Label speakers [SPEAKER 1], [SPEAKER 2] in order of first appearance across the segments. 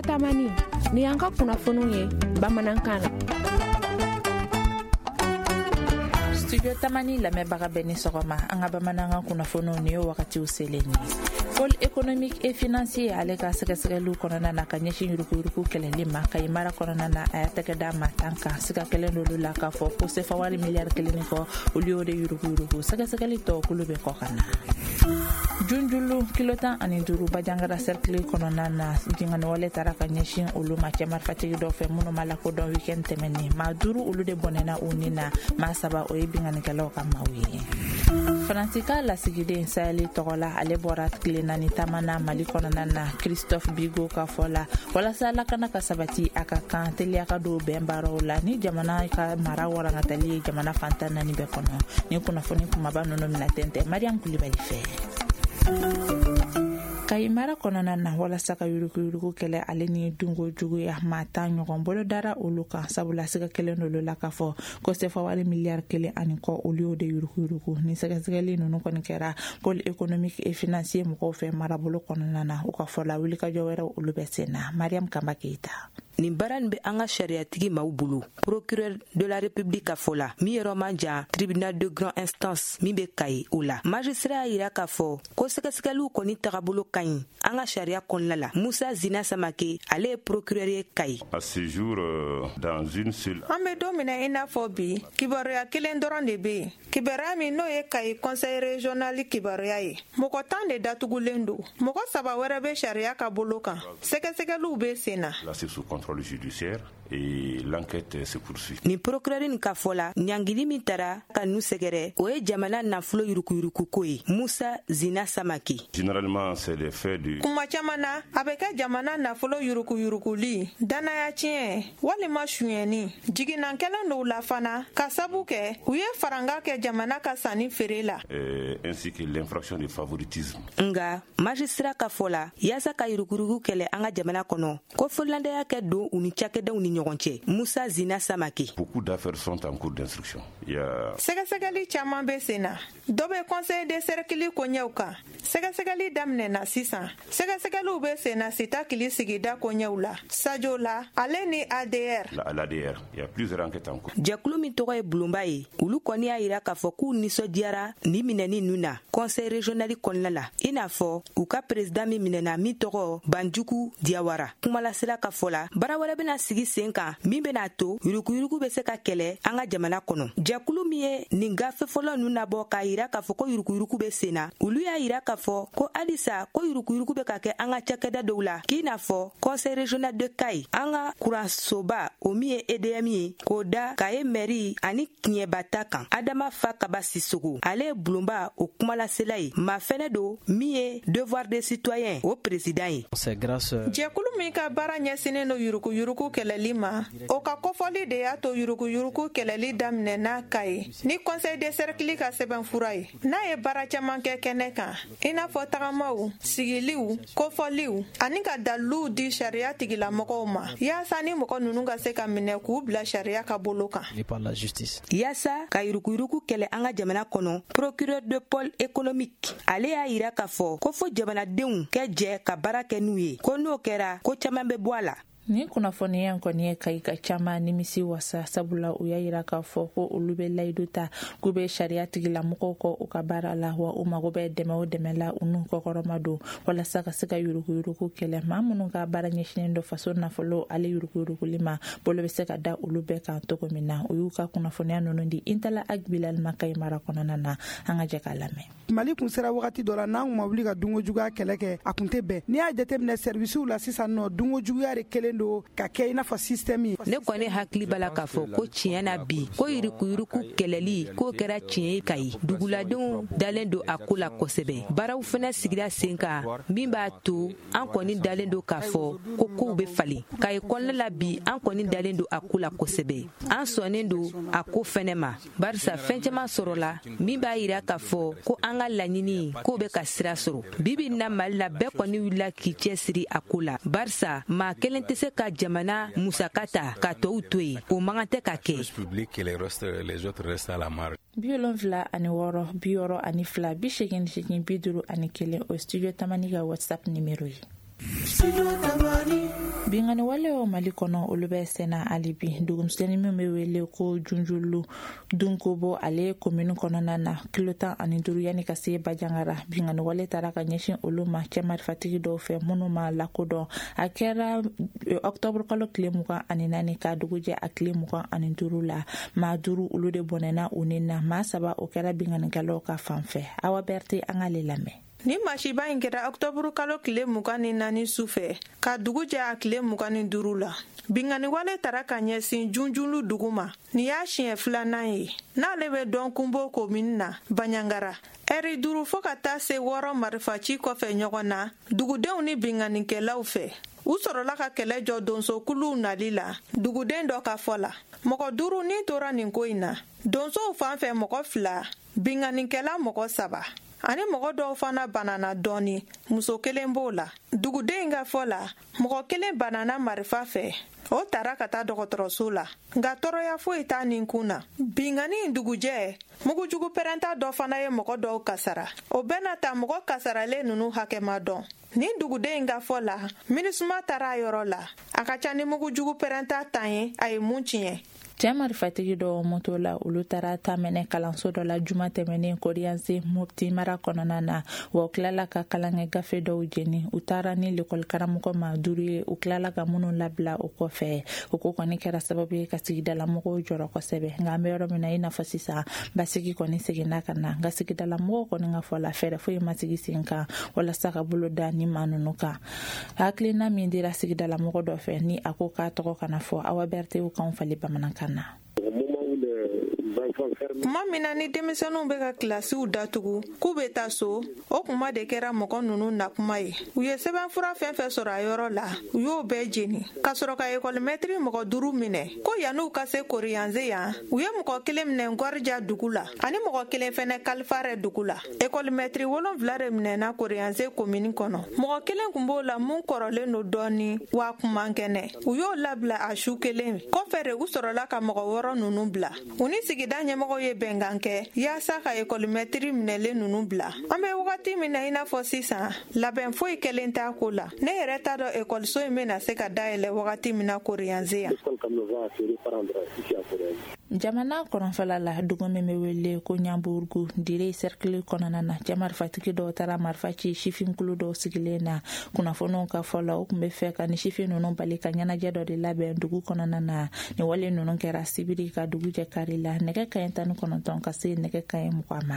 [SPEAKER 1] Tamani, ni y'an ka kunnafoniw ye bamanankan na.
[SPEAKER 2] Studio Tamani lamɛnbaga bɛɛ ni sɔgɔma. An ka bamanankan kunnafoniw, nin ye wagatiw selen ye. Pôle économique et financier, ale ka sɛgɛsɛgɛliw kɔnɔna na ka ɲɛsin yuruguyurugu kɛlɛli ma Kayi mara kɔnɔna na, a y'a tɛgɛ da maa 10 kan. Siga kɛlen d'olu la k'a fɔ ko sefa wari miliyari 1 ni kɔ, olu y'o de yuruguyurugu. Sɛgɛsɛgɛli tɔ kulu bɛ kɔ ka na. Junjulu kilo 15, Bajangara cercle kɔnɔna na, binkanniwale taara ka ɲɛsin olu ma cɛ marifatigi dɔw fɛ minnu ma lakodɔn weekend tɛmɛnen. Maa duuru, olu de bɔnɛna u ni na. Maa saba, o ye binkannikɛlaw ka maaw ye. Faransi ka lasigiden Sahel tɔgɔ la, ale bɔra tile 4 taama na Mali kɔnɔna na. Christophe Bigot ka fɔ la, walasa lakana ka sabati, a ka kan teliya ka don bɛn baaraw la ni jamana ka mara warangatali ye jamana fan 14 bɛɛ kɔnɔ. Ni kunnafoni kumaba ninnu mina tɛntɛ Mariam Kulibali fɛ. Kayi mara kɔnɔna na, walasa ka yuruguyurugu kɛlɛ ale ni dunko juguya, maa 10 ɲɔgɔn bolo dara olu kan, sabula siga kelen d'olu la k'a fɔ ko sefa wari miliyari 1 ani kɔ, olu y'o de yuruguyurugu. Ni sɛgɛsɛgɛli ninnu kɔni kɛra Pôle économique et financier mɔgɔw fɛ marabolo kɔnɔna na, u ka fɔ la, wulikajɔ wɛrɛw, olu bɛ sen na. Mariam Kamba Keyita.
[SPEAKER 3] Nin baara nin bɛ an ka sariyatigi maaw bolo. Procureur de la République ka fɔ la, min yɔrɔ man jan tribunal de grande instance min bɛ Kayi, o la magistrat y'a yira k'a fɔ ko sɛgɛsɛgɛliw kɔni tagabolo ka ɲi an ka sariya kɔnɔna la. Musa Zina Samake, ale ye procureur ye Kayi.
[SPEAKER 4] À ce jour, dans une seule
[SPEAKER 5] An bɛ don min na i n'a fɔ bi, kibaruya kelen dɔrɔn de bɛ yen, kibaruya min n'o ye Kayi conseil régional kibaruya ye. Mɔgɔ 10 de datugulen don, mɔgɔ saba wɛrɛ bɛ sariya ka bolo kan, sɛgɛsɛgɛliw bɛ sen na.
[SPEAKER 4] Placé sous contrôle judiciaire et l'enquête se poursuit.
[SPEAKER 3] Nin procureur nin ka fɔ la, ɲangili min tara ka nu sɛgɛrɛ, o ye jamana nafolo yurukuyurukuko ye. Musa Zina Samake.
[SPEAKER 4] Généralement, c'est des faits de
[SPEAKER 5] Kuma caman na, a bɛ kɛ jamana nafolo yurukuyurukuli, dannaya tiɲɛ walima suyɛnni. Jiginna kɛlen dɔw la fana, ka sabu kɛ u ye faranga kɛ jamana ka sanni feere la.
[SPEAKER 4] Ainsi que l'infraction de favoritisme.
[SPEAKER 3] Nga magistrat ka fɔ la, yaasa ka yuruguyurugu kɛlɛ an ka jamana kɔnɔ, ko fɔlandaya kɛ don u ni cakɛdaw ni ɲɔgɔn cɛ. Musa Zina Samake.
[SPEAKER 4] Beaucoup d'affaires sont en cours d'instruction. Il y a
[SPEAKER 5] Sɛgɛsɛgɛli caman bɛ sen na. Dɔ bɛ conseil de cercle koɲɛw kan, sɛgɛsɛgɛli daminɛna sisan. Sɛgɛsɛgɛliw bɛ sen na Sitakili sigida koɲɛw la, Sajo la, ale ni ADR.
[SPEAKER 4] l'ADR. Il y a plusieurs enquêtes en cours.
[SPEAKER 3] Jɛkulu min tɔgɔ ye Bulonba ye, olu kɔni y'a yira k'a fɔ k'u nisɔndiyara ni minɛni ninnu na conseil régional kɔnɔna la, i n'a fɔ u ka président min minɛna, min tɔgɔ Banjugu Diyawara. Kumalasela ka fɔ la, baara wɛrɛ bɛna sigi sen kan min bɛna to yuruguyurugu bɛ se ka kɛlɛ an ka jamana kɔnɔ. Jɛkulu min ye nin gafe fɔlɔ ninnu nabɔ k'a yira k'a fɔ ko yuruguyurugu bɛ sen na, olu y'a yira k'a fɔ ko halisa ko yuruguyurugu bɛ ka kɛ an ka cakɛda dɔw la, k'i n'a fɔ conseil régional de Kayi, an ka kuransoba, o min ye EDM ye, k'o da Kaye mairie ani Tiɲɛba ta kan. Adama Fa Kaba Sisogo, ale ye bulonba o kumalasela ye, maa fɛnɛ don min ye Devoir de citoyen o président ye.
[SPEAKER 6] C'est grâce
[SPEAKER 5] Jɛkulu min ka baara ɲɛsinnen don yuruguyurugu kɛlɛli ma, o ka kofɔli de y'a to yuruguyurugu kɛlɛli daminɛna Kayi ni conseil de cercle ka sɛbɛnfura ye, n'a ye baara caman kɛ kɛnɛ kan, i n'a fɔ tagamaw, sigiliw, kofɔliw ani ka daliluw di sariya tigilamɔgɔw ma, yaasa ni mɔgɔ ninnu ka se ka minɛ k'u bila sariya ka bolo kan.
[SPEAKER 6] Par la justice.
[SPEAKER 3] Yaasa ka yuruguyurugu kɛlɛ an ka jamana kɔnɔ, procureur de pôle économique, ale y'a yira k'a fɔ ko fo jamanadenw kɛ jɛ ka baara kɛ n'u ye, ko n'o kɛra, ko caaman bɛ bɔ a la.
[SPEAKER 2] Nin kunnafoniya kɔni ye Kayi ka caman nimisi wasa, sabula u y'a yira k'a fɔ ko olu bɛ layidu ta k'u bɛ sariya tigilamɔgɔw kɔ u ka baara la, wa u mago bɛ dɛmɛ o dɛmɛ la, u n'u kɔkɔrɔma don walasa ka se ka yuruguyurugu kɛlɛ. Maa minnu ka baara ɲɛsinnen don faso nafolo ale yuruguyuruguli ma, bolo bɛ se ka da olu bɛɛ kan cogo min na. U y'u ka kunnafoniya ninnu di Intala Agbilal ma Kayi mara kɔnɔna na. An ka jɛ k'a lamɛn.
[SPEAKER 7] Mali kun sera wagati dɔ la, n'an kun ma wuli ka dunko juguya kɛlɛ kɛ, a kun tɛ bɛn. N'i y'a jateminɛ servisiw la sisan nɔ, dunko juguya de kelen don ka kɛ i n'a fɔ système ye.
[SPEAKER 3] Ne kɔni hakili b'a la k'a fɔ ko tiɲɛ na bi, ko yurukuyuruku kɛlɛli k'o kɛra tiɲɛ ye Kayi. Duguladenw dalen don a ko la kosɛbɛ. Baaraw fɛnɛ sigira sen kan min b'a to an kɔni dalen don k'a fɔ ko kow bɛ falen Kayi kɔnɔna la bi. An kɔni dalen don a ko la kosɛbɛ, an sɔnnen don a ko fɛnɛ ma, barisa fɛn caman sɔrɔla min b'a yira k'a fɔ ko an ka laɲini k'o bɛ ka sira sɔrɔ. Bibi na, Mali la, bɛɛ kɔni wulila k'i cɛsiri a ko la, barisa maa kelen tɛ se ka jamana musaka ta ka tɔw to yen. O man kan tɛ ka kɛ.
[SPEAKER 2] 76 62 88 51, o Studio Tamani ka WhatsApp numéro ye. Binkanni walew Mali kɔnɔ, olu bɛ senna hali bi. Dugumisɛnnin min bɛ wele ko Junjulu Dunkobo, ale komini kɔnɔna na, kilo 15 yanni ka se Bajangara, binkanni wale taara ka ɲɛsin olu ma cɛ marifatigi dɔw fɛ minnu ma lakodɔn. A kɛra ɔktɔburu kalo tile 24 ka dugu jɛ a tile 25 la. Maa duuru, olu de bɔnɛna u ni na. Maa saba, o kɛra binkannikɛlaw ka fan fɛ. Awa Bɛrite, an k'ale lamɛn.
[SPEAKER 5] Ni masiba in kɛra ɔktɔburu kalo tile 24 su fɛ ka dugu jɛ a tile 25 la. Binkanniwale tara ka ɲɛsin Junjulu dugu ma. Nin y'a siɲɛ filanan ye n'ale bɛ dɔn Kunbo komini na, Baɲangara. Ɛri 5 fɔɔ ka taa se 6 marifaci kɔfɛ ɲɔgɔn na dugudenw ni binkannikɛlaw fɛ, u sɔrɔla ka kɛlɛ jɔ donsokuluw nali la. Duguden dɔ ka fɔ la, mɔgɔ duuru ni tora nin ko in na. Donsow fan fɛ, mɔgɔ fila, binkannikɛla mɔgɔ saba, ani mɔgɔ dɔw fana banana dɔɔni, muso kelen b'o la. Duguden ka fɔ la, mɔgɔ kelen banana marifa fɛ, o tara ka taa dɔgɔtɔrɔso la, nka tɔɔrɔya foyi t'a nin kun na. Binkanni in dugujɛ, mugujugu pɛrɛnta dɔ fana ye mɔgɔ dɔw kasara. O bɛna ta, mɔgɔ kasaralen ninnu hakɛ ma dɔn. Nin duguden in ka fɔ la, MINUSMA taara a yɔrɔ la. A ka ca ni mugujugu pɛrɛnta 10 ye a ye mun tiɲɛ.
[SPEAKER 2] Cɛ marifatigi dɔw moto la, olu taara ta minɛ kalanso dɔ la juma tɛmɛnen Koriyanse, Mopti mara kɔnɔna na. Wa u tilala ka kalankɛ gafe dɔw jeni. U taara ni lekɔli karamɔgɔ ma duuru ye, u tilala ka minnu labila o kɔfɛ. O ko kɔni kɛra sababu ye ka sigidalamɔgɔw jɔrɔ kosɛbɛ. Nka an bɛ yɔrɔ min na i n'a fɔ sisan, basigi kɔni seginna ka na. Nka sigidalamɔgɔw kɔni ka fɔ la, fɛɛrɛ foyi ma sigi sen kan walasa ka bolo da ni maa ninnu kan. Hakilina min dira sigidalamɔgɔ dɔ fɛ, ni a ko k'a tɔgɔ kana fɔ, Awa Bɛrite kanw falen bamanankan na.
[SPEAKER 5] Tuma min na ni denmisɛnninw bɛ ka kilasiw datugu k'u bɛ taa so, o kuma de kɛra mɔgɔ ninnu nakuma ye. U ye sɛbɛnfura fɛn fɛn sɔrɔ a yɔrɔ la, u y'o bɛɛ jeni ka sɔrɔ ka ekɔlimɛtiri mɔgɔ duuru minɛ. Ko yann'u ka se Koriyanze yan, u ye mɔgɔ kelen minɛ Ngɔrija dugu la ani mɔgɔ kelen fɛnɛ Kalifarɛ dugu la. Ekɔlimɛtiri wolonfila de minɛna Koriyanze komini kɔnɔ. Mɔgɔ kelen kun b'o la mun kɔrɔlen don dɔɔni wa kun man kɛnɛ, u y'o labila a su kelen kɔfɛ de. U sɔrɔla ka mɔgɔ wɔɔrɔ ninnu bila. U ni sigida ɲɛmɔgɔw ye bɛnkan kɛ yaasa ka ekɔlimɛtiri minɛlen ninnu bila. An bɛ wagati min na i n'a fɔ sisan, labɛn foyi kɛlen t'a ko la. Ne yɛrɛ t'a dɔn ekɔliso in bɛna se ka dayɛlɛ wagati min na Koriyanze yan.
[SPEAKER 2] Jamana kɔrɔnfɛla la, dugu min bɛ wele ko Ɲanburugu, Dire cercle kɔnɔna na, cɛ marifatigi dɔw taara marifa ci sifinkulu dɔw sigilen na. Kunnafoniw ka fɔ la, o tun bɛ fɛ ka ni sifin ninnu bali ka ɲɛnajɛ dɔ de labɛn dugu kɔnɔna na. Nin wale ninnu kɛra sibiri ka dugu jɛ kari la, nɛgɛ kaɲɛ 19 ka se nɛgɛ kaɲɛ 20 ma.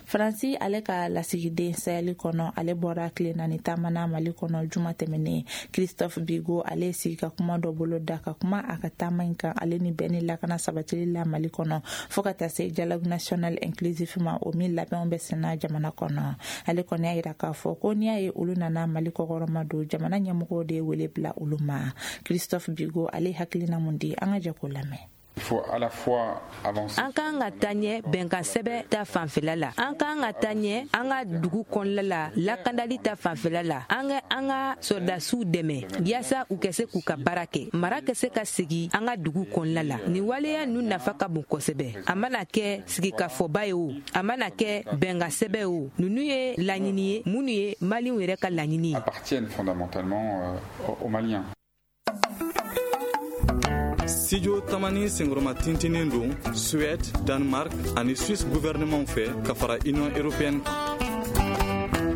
[SPEAKER 2] Faransi ale ka lasigiden Sahel kɔnɔ, ale bɔra tile 4 taama na Mali kɔnɔ juma tɛmɛnen. Christophe Bigot, ale ye sigi ka kuma dɔ bolo da ka kuma a ka taama in kan, ale ni bɛn ni lakana sabatili la Mali kɔnɔ, fɔɔ ka taa se dialogue national inclusif ma, o min labɛnw bɛ senna jamana kɔnɔ. Ale kɔni y'a yira k'a fɔ ko n'i y'a ye olu nana Mali kɔkɔrɔma don, jamana ɲɛmɔgɔw de ye wele bila olu ma. Christophe Bigot, ale hakilina mun di? An ka jɛ k'o lamɛn.
[SPEAKER 3] An k'an ka taa ɲɛ bɛnkan sɛbɛ ta fanfɛla la, an k'an ka taa ɲɛ an ka dugu kɔnɔla la, lakandali ta fanfɛla la. An ka an ka sɔrɔdasiw dɛmɛ yaasa u ka se k'u ka baara kɛ, mara ka se ka segi an ka dugu kɔnɔla la. Nin waleya ninnu nafa ka bon kosɛbɛ. A mana kɛ sigikafɔba ye o, a mana kɛ bɛnkan sɛbɛ o, ninnu ye laɲini ye minnu ye Maliyɛnw yɛrɛ ka laɲini ye.
[SPEAKER 6] Appartiennent fondamentalement aux Maliens.
[SPEAKER 8] Studio Tamani senkɔrɔma tintinin don Suède, Danemark ani Suisse gouvernement fɛ ka fara Union européenne kan.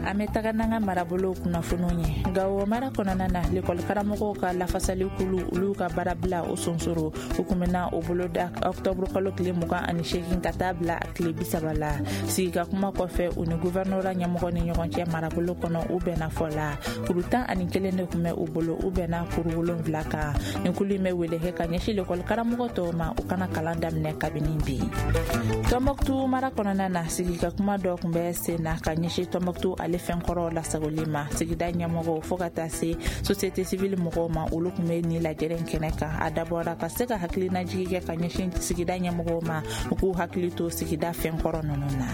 [SPEAKER 2] An bɛ taga n'an ka marabolow kunnafoniw ye. Gawo mara kɔnɔna na, lekɔli karamɔgɔw ka lafasali kulu, olu ka baarabila o sonsoro, u kun bɛna o bolo da ɔktɔburu kalo tile 28 ka taa bila a tile 30 la. Sigi ka kuma kɔfɛ u ni guvɛrnora ɲɛmɔgɔ ni ɲɔgɔn cɛ marabolo kɔnɔ, u bɛnna fɔ la. Kuru 11 de kun bɛ u bolo, u bɛnna kuru wolonfila kan. Nin kulu in bɛ wele kɛ ka ɲɛsin lekɔli karamɔgɔ tɔw ma, u kana kalan daminɛ kabini bi. Tɔnbɔkutu mara kɔnɔna na, sigi ka kuma dɔ kun bɛ sen na ka ɲɛsin Tɔnbɔkutu ale fɛnkɔrɔw lasagoli ma. Sigida ɲɛmɔgɔw fɔɔ ka taa se société civile mɔgɔw ma, olu kun bɛ nin lajɛrɛ kɛnɛ kan. A dabɔra ka se ka hakilinajigi kɛ ka ɲɛsin sigida ɲɛmɔgɔw ma, u k'u hakili to sigida fɛnkɔrɔ ninnu na.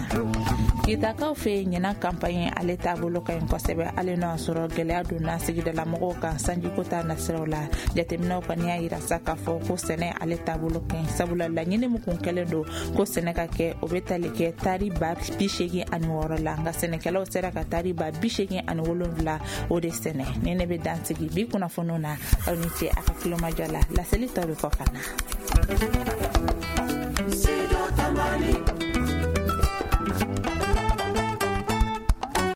[SPEAKER 2] Kitakaw fɛ yen, ɲinan campagne ale taabolo ka ɲi kosɛbɛ, hali n'o y'a sɔrɔ gɛlɛya donna sigidalamɔgɔw kan sanjiko ta nasiraw la. Jateminɛw kɔni y'a yira sa k'a fɔ ko sɛnɛ ale taabolo ka ɲi, sabula laɲini min kun kɛlen don ko sɛnɛ ka kɛ, o bɛ tali kɛ tari 86 000 la, nka sɛnɛkɛlaw sera ka tari 87 o de sɛnɛ. Ni ne bɛ dan sigi bi kunnafoniw na, aw ni ce a ka tulomajɔ la. Laseli tɔ bɛ kɔ ka na.